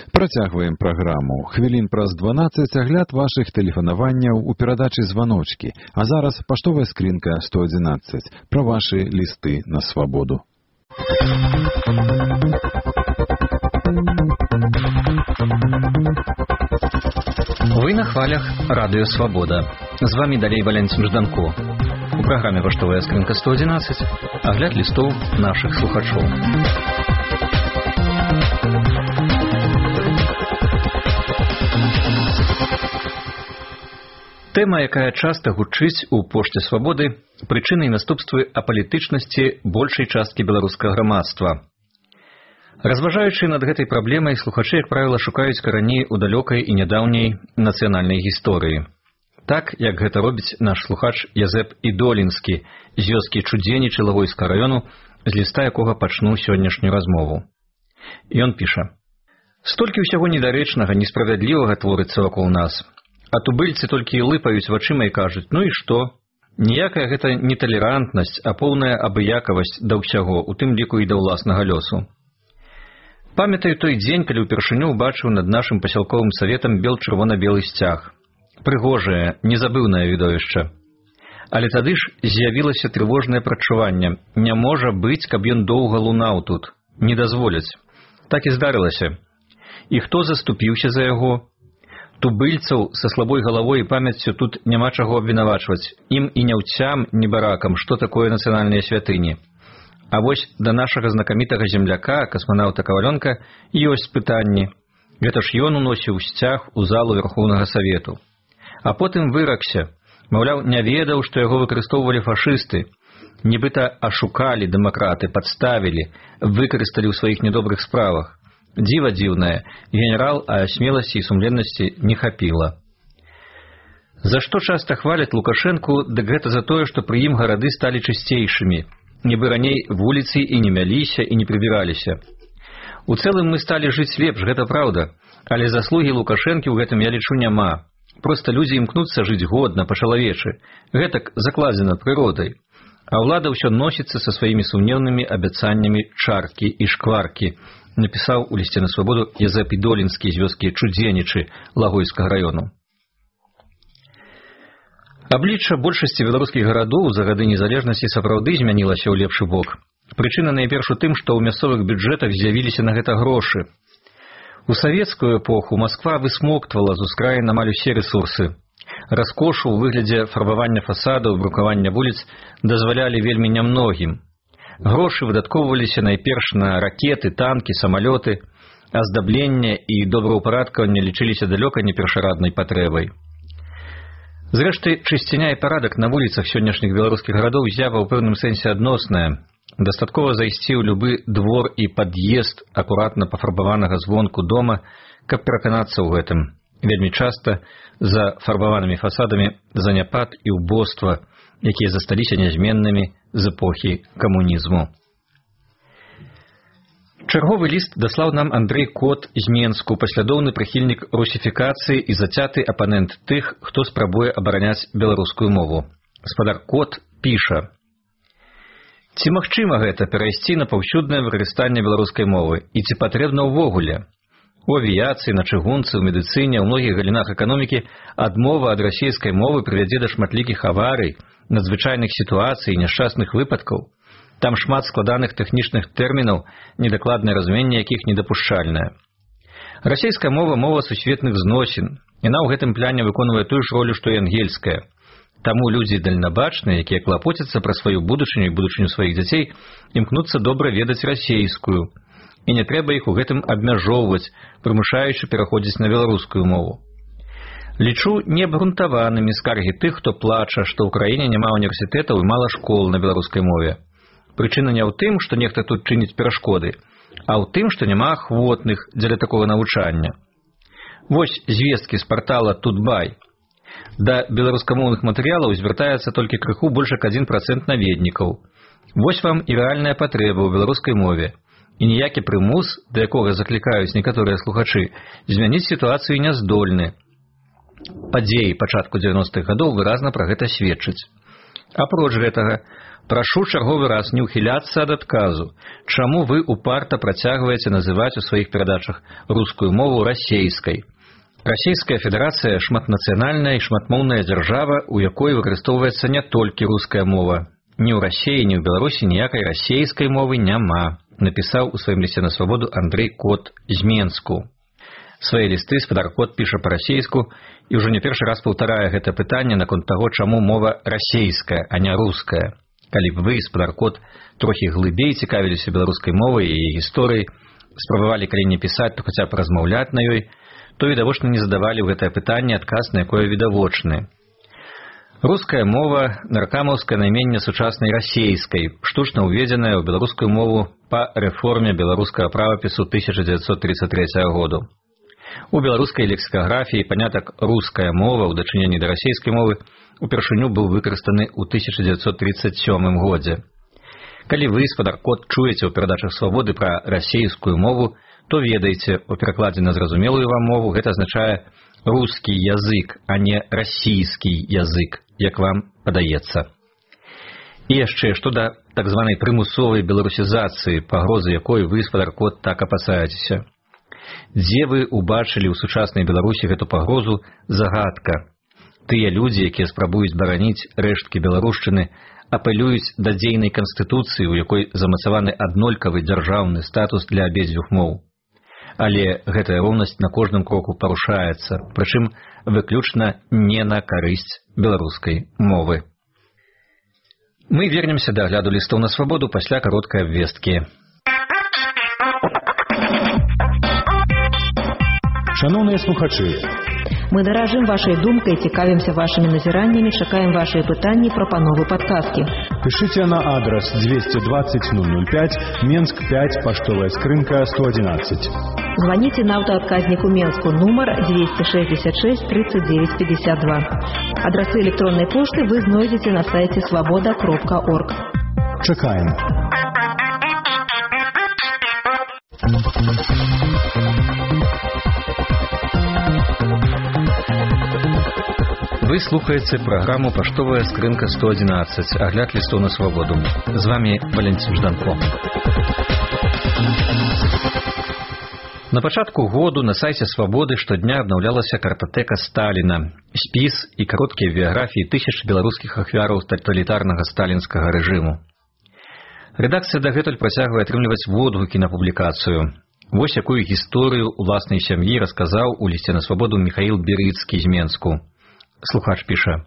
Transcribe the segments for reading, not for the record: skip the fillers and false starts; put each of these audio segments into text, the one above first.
Працягваем праграму. Хвілін праз 12 агляд вашых тэлефанаванняў у перадачы «Званочкі». А зараз паштовая скрынка 111. Пра вашы лісты на свабоду. Вы на хвалях Радыё Свабода. З вами далей Валянцін Жданко. У праграме «Паштовая скрынка 111» агляд лістоў нашых слухачоў. Тэма, якая часта гучыць у пошце свабоды, прычыны і наступствы апалітычнасці большай часткі беларускага грамадства. Разважаючы над гэтай праблемай, слухачы, як правіла, шукаюць караней у далёкай і нядаўняй нацыянальнай гісторыі. Так, як гэта робіць наш слухач Язэп Ідолінскі з вёскі Чудзенічы Лагойскага раёну, з ліста якога пачну сённяшнюю размову. Ён піша: «Столькі ўсяго недарэчнага, несправядлівага творыцца вакол нас. А тубыльцы толькі і лыпаюць вачыма і кажуць: ну і што? Ніякая гэта не талерантнасць, а поўная абыякавасць да ўсяго, у тым ліку і да ўласнага лёсу. Памятаю той дзень, калі ўпершыню ўбачыў над нашым пасялковым саветам бел-чырвона-белы сцяг. Прыгожае, незабыўнае відовішча. Але тады ж з'явілася трывожнае прадчуванне. Не можа быць, каб ён доўга лунаў тут. Не дазволяць. Так і здарылася. І хто заступіўся за яго? Тубыльцаў са слабой галавой і памяццю тут няма чаго абвінавачваць. Ім і няўцям, ні баракам, што такое нацыянальныя святыні. А вось да нашага знакамітага земляка, касманаўта Кавалёнка, ёсць пытанні. Гэта ж ён уносіў сцяг у залу Верхоўнага Савету. А потым выракся. Маўляў, не ведаў, што яго выкарыстоўвалі фашысты. Нібыта ашукалі дэмакраты, падставілі, выкарысталі ў сваіх недобрых справах. Дзіва дзіўнае, генерал, а смеласці і сумленнасці не хапіла. За што часта хваляць Лукашэнку, дык гэта за тое, што пры ім гарады сталі чысцейшымі. Нібы раней вуліцы і не мяліся, і не прыбіраліся. У цэлым мы сталі жыць лепш, гэта праўда, але заслугі Лукашэнкі ў гэтым, я лічу, няма. Проста людзі імкнуцца жыць годна, па-чалавечы. Гэтак закладзена прыродай. А ўлада ўсё носіцца са сваімі сумнеўнымі абяцаннямі чаркі і шкваркі, напісаў у лісце на свабоду Язэп Ідолінскі з вёскі Чудзенічы Лагойскага раёну. Аблічча большасці беларускіх гарадоў за гады незалежнасці сапраўды змянілася ў лепшы бок. Прычына найперш у тым, што ў мясцовых бюджэтах з'явіліся на гэта грошы. У савецкую эпоху Масква высмоктвала з ускраін амаль усе рэсурсы. Раскошу ў выглядзе фарбавання фасадаў, брукавання вуліц дазвалялі вельмі нямногім. Грошы выдаткоўваліся найперш на ракеты, танкі, самалёты, аздабленне і добраўпарадкаванне лічыліся далёка не першараднай патрэбай. Зрэшты, чысціня і парадак на вуліцах сённяшніх беларускіх гарадоў з'ява ў пэўным сэнсе адносная. Дастаткова зайсці ў любы двор і пад'езд акуратна пафарбаванага звонку дома, каб пераканацца ў гэтым. Вельмі часта за фарбаванымі фасадамі заняпад і ўбоства, якія засталіся нязменнымі з эпохі камунізму. Чарговы ліст даслаў нам Андрэй Кот з Менску, паслядоўны прыхільнік русіфікацыі і зацяты апанент тых, хто спрабуе абараняць беларускую мову. Гаспадар Кот піша: «Ці магчыма гэта перайсці на паўсюднае выкарыстанне беларускай мовы? І ці патрэбна ўвогуле? У авіяцыі, на чыгунцы, у медыцыне, у многіх галінах эканомікі адмова ад расейскай мовы прывядзе да шматлікіх аварый, надзвычайных сітуацый і няшчасных выпадкаў. Там шмат складаных тэхнічных тэрмінаў, недакладнае разуменне якіх недапушчальнае. Расейская мова – мова сусветных зносін. Яна ў гэтым пляне выконвае тую ж ролю, што і ангельская. Таму людзі дальнабачныя, якія клапоцяцца пра сваю будучыню і будучыню сваіх дзяцей, імкнуцца добра ведаць расейскую. І не трэба іх у гэтым абмяжоўваць, прымушаючы пераходзіць на беларускую мову. Лічу неабгрунтаванымі скаргі тых, хто плача, што ў краіне няма універсітэтаў і мала школ на беларускай мове. Прычына не ў тым, што нехта тут чыніць перашкоды, а ў тым, што няма ахвотных дзеля такога навучання. Вось звесткі з партала «Тутбай». Да беларускамоўных матэрыялаў звяртаецца толькі крыху больш як 1% наведнікаў. Вось вам і рэальная патрэба ў беларускай мове. І ніякі прымус, да якога заклікаюць некаторыя слухачы, змяніць сітуацыю не здольны. Падзеі пачатку 90-х гадоў выразна пра гэта сведчаць. Апроч гэтага, Прашу чарговы раз не ўхіляцца ад адказу. Чаму вы упарта працягваеце называць у сваіх перадачах рускую мову расейскай? Расійская федэрацыя шматнацыянальная і шматмоўная дзяржава, у якой выкарыстоўваецца не толькі руская мова. Ні ў Расіі, ні ў Беларусі ніякай расейскай мовы няма, напісаў у сваім лісце на свабоду Андрэй Кот з Менску. Свае лісты спадар Кот піша па-расейску і ўжо не першы раз паўтарае гэта пытанне наконт таго, чаму мова расейская, а не руская. Калі б вы, спадар Кот, трохі глыбей цікавіліся беларускай мовай і яе гісторыяй, спрабавалі калі не пісаць, то хаця б размаўляць на ёй, то відавочна не задавалі ў гэтае пытанне адказ, на якое відавочны. Руская мова – наркамаўскае найменне сучаснай расейскай, штучна ўведзеная ў беларускую мову па рэформе беларускага правапісу 1933 году. У беларускай лексікаграфіі панятак «руская мова» ў дачыненні да расейскай мовы упершыню быў выкарыстаны ў 1937 годзе. Калі вы, спадар Кот, чуеце ў перадачах свабоды пра расейскую мову, то ведаеце, у перакладзе на зразумелую вам мову гэта азначае рускі язык, а не расійскі язык, як вам падаецца. І яшчэ, што да так званай прымусовай беларусізацыі, пагрозы якой вы, спадар Кот, так апасаецеся. Дзе вы убачылі ў сучаснай Беларусі гэту пагрозу, загадка. Тыя людзі, якія спрабуюць бараніць рэшткі беларушчыны, апелююць да дзейнай канстытуцыі, у якой замацаваны аднолькавы дзяржаўны статус для абедзвюх моў. Але гэтая роўнасць на кожным кроку парушаецца, прычым выключна не на карысць беларускай мовы. Мы вернемся да агляду лістоў на свабоду пасля кароткай абвесткі. Шановныя слухачы, мы даражым вашай думкай, цікавімся вашымі назіраннямі, чакаем вашыя пытанні, прапановы, падказкі. Пишите на адрес 220-005, Менск 5, поштовая скрынка 111. Звоните на автоотказнику Менску, номер 266 39 52. Адресы электронной почты вы знойдете на сайте svoboda.org. Чекаем. Вы слухаеце праграму «Паштовая скрынка 111», агляд лістоў на свабоду. З вами Валентин Жданко. На пачатку году на сайце «Свабоды» штодня абнаўлялася картатэка Сталіна, спіс і кароткія біяграфіі тысяч беларускіх ахвяраў таталітарнага сталінскага рэжыму. Рэдакцыя дагэтуль працягвае атрымліваць водгукі на публікацыю. Вось якую гісторыю уласнай сям'і расказаў у лісце на свабоду Міхаіл Берыцкі з Менску. Слухач піша: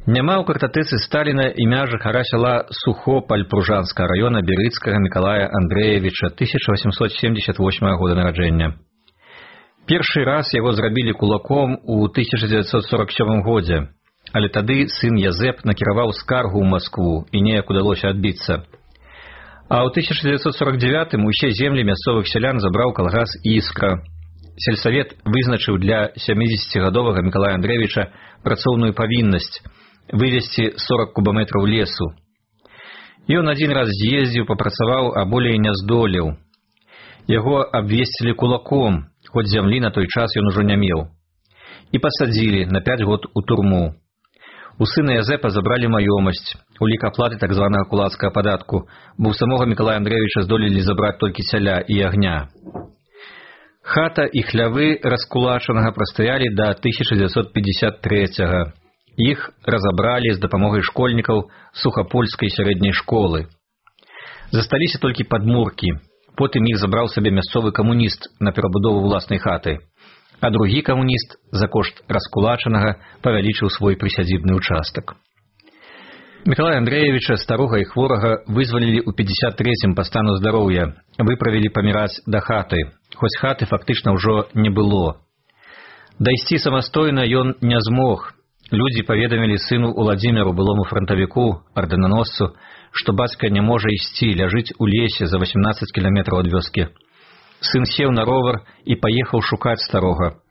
«Няма ў картатэцы Сталіна імя жыхара сяла Сухополь Пружанскага района Берыцкага Мікалая Андрэевіча 1878 года нараджэння. Першы раз яго зрабілі кулаком у 1947 годзе, але тады сын Язэп накіраваў скаргу ў Маскву і неяк удалося адбіцца. А ў 1949 усе землі мясцовых сялян забраў калгас «Іскра». Сельсавет вызначыў для 70гадовага Мікалая Андрэевіча працоўную павіннасць вывезці 40 кубаметраў лесу. Ён адзін раз з'ездзіў, папрацаваў, а болей не здолеў. Яго абвесцілі кулаком, хоць зямлі на той час ён ужо не меў. І пасадзілі на 5 год у турму. У сына Язэпа забралі маёмасць, у лік аплаты так званага кулацкага падатку, бо ў самога Мікалая Андрэевіча здолелі забраць толькі цяля і агня. Хата і хлявы раскулачанага прастаялі да 1953-го. Іх разабралі з дапамогай школьнікаў сухапольскай сярэдняй школы. Засталіся толькі падмуркі. Потым іх забраў сабе мясцовы камуніст на перабудову ўласнай хаты, а другі камуніст за кошт раскулачанага павялічыў свой прысядзібны ўчастак. Мікалая Андрэевіча, старога і хворага, вызвалілі ў 53-м па стану здароўя, выправілі паміраць да хаты, хоць хаты фактычна ўжо не было. Дайсці самастойна ён не змог. Людзі паведамілі сыну Уладзіміру, былому франтавіку, ардэнаносцу, што бацька не можа ісці, ляжыць у лесе за 18 кіламетраў ад вёскі. Сын сеў на ровар і паехаў шукаць старога.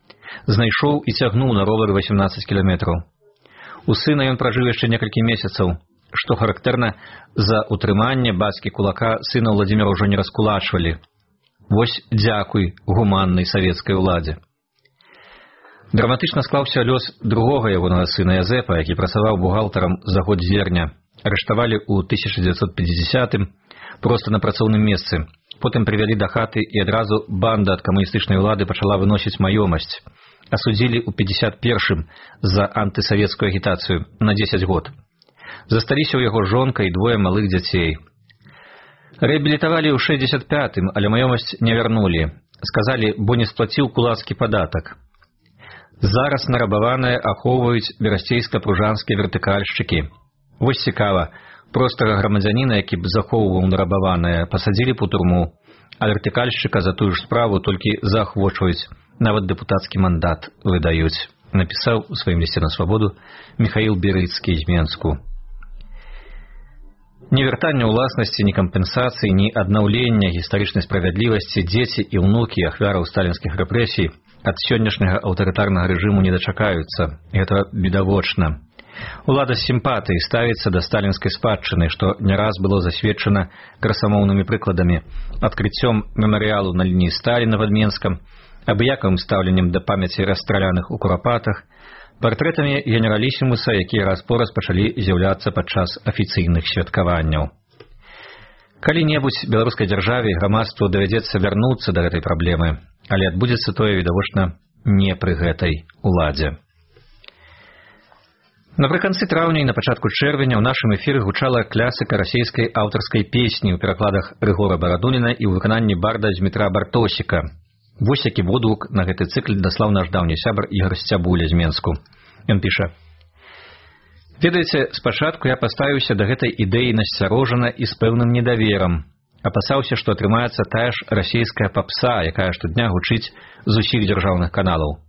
Знайшоў і цягнуў на ровары 18 кіламетраў. У сына ён пражыў яшчэ некалькі месяцаў. Што характэрна, за утрыманне бацькі кулака сына Уладзіміра ўжо не раскулачвалі. Вось дзякуй гуманнай савецкай уладзе. Драматычна склаўся лёс другога ягонага сына Язэпа, які працаваў бухгалтарам за год зерня. арыштавалі ў 1950-м проста на працоўным месцы. Потым прывялі да хаты, і адразу банда ад камуністычнай улады пачала выносіць маёмасць. Асудзілі ў 51-м за антысавецкую агітацыю на 10 год. Засталіся ў яго жонка і 2 малых дзяцей. Рэабілітавалі ў 65-м, але маёмасць не вярнулі. Сказалі, бо не сплаціў кулацкі падатак. Зараз нарабаваныя ахоўваюць берасцейска-пружанскія вертыкальшчыкі. Вось цікава, простага грамадзяніна, які б захоўваў нарабаваныя, пасадзілі б у турму, а вертыкальшчыка за тую ж справу толькі заахвочваюць, нават дэпутацкі мандат выдаюць, напісаў у сваім лісце на свабоду Міхаіл Берыцкі з Менску. Ні вяртання ўласнасці, ні кампенсацыі, ні аднаўлення гістарычнай справядлівасці дзеці і ўнукі ахвяраў сталінскіх рэпрэсій ад сённяшняга аўтарытарнага рэжыму не дачакаюцца. Гэта відавочна. Улада з сімпатыяй ставіцца да сталінскай спадчыны, што не раз было засведчана красамоўнымі прыкладамі, адкрыццём мемарыялу на лініі Сталіна пад Менскам, абыякавым стаўленнем да памяці расстраляных у Курапатах, партрэтамі генералісімуса, якія раз-пораз пачалі з'яўляцца падчас афіцыйных святкаванняў. Калі-небудзь беларускай дзяржаве і грамадству давядзецца вярнуцца да гэтай праблемы, але адбудзецца тое, відавочна, не пры гэтай уладзе. Напрыканцы траўня і на пачатку чэрвеня ў нашым эфіры гучала класіка расійскай аўтарскай песні ў перакладах Рыгора Барадуніна і ў выкананні барда Дзмітра Бартосіка. Вось які водгук на гэты цыкл даслаў наш даўні сябар Ігар Сцябуля з Менску. Ён піша: «Ведаеце, спачатку я паставіўся да гэтай ідэі насцярожана і з пэўным недаверам. Апасаўся, што атрымаецца тая ж расійская папса, якая штодня гучыць з усіх дзяржаўных каналаў.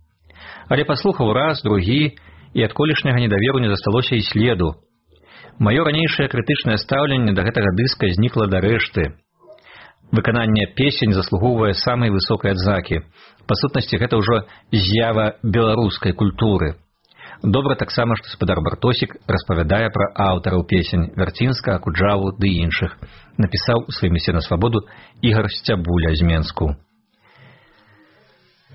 Але паслухаў раз, другі, і ад колішняга недаверу не засталося і следу. Маё ранейшае крытычнае стаўленне да гэтага дыска знікла да рэшты. Выкананне песень заслугоўвае самай высокай адзнакі. Па сутнасці, гэта ўжо з'ява беларускай культуры. Добра таксама, што спадар Бартосік распавядае пра аўтараў песень Вярцінска, Акуджаву ды іншых», напісаў у сваім лісце на свабоду Ігар Сцябуля з Менску.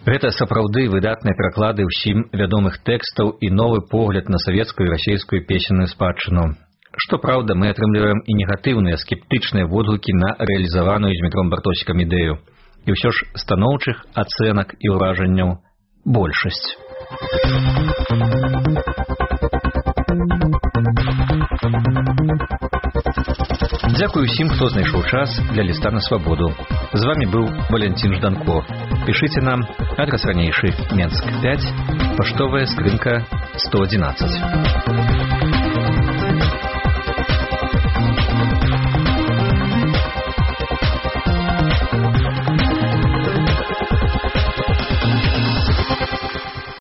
Гэта сапраўды выдатныя пераклады ўсім вядомых тэкстаў і новы погляд на савецкую і расійскую песенную спадчыну. Што праўда, мы атрымліваем і негатыўныя, скептычныя водгукі на рэалізаваную Дзмітром Бартосікам ідэю. І ўсё ж станоўчых ацэнак і ўражанняў большасць. Дзякую ўсім, хто знайшоў час для ліста на свабоду. З вамі быў Валянцін Жданко. Пішыце нам, адрас ранейшы, Менск 5, паштовая скрынка 111.